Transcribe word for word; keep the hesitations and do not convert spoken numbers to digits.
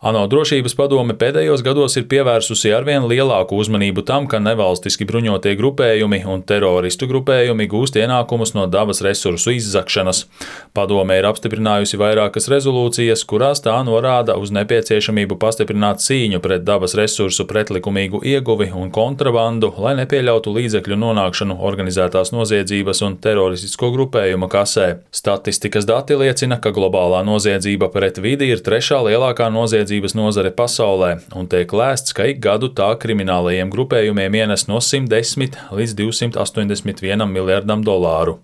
ANO drošības padome pēdējos gados ir pievērsusi arvien lielāku uzmanību tam, ka nevalstiski bruņotie grupējumi un teroristu grupējumi gūst ienākumus no dabas resursu izzakšanas. Padome ir apstiprinājusi vairākas rezolūcijas, kurās tā norāda uz nepieciešamību pastiprināt cīņu pret dabas resursu pretlikumīgu ieguvi un kontrabandu, lai nepieļautu līdzekļu nonākšanu organizētās noziedzības un teroristisko grupējumu kasē. Statistikas dati liecina, ka globālā noziedzība pret vidi ir trešā lielākā noziedzība nozare pasaulē, un tiek lēsts, ka ik gadu tā kriminālajiem grupējumiem ienes no simt desmit līdz divsimt astoņdesmit vienam miljardam dolāru.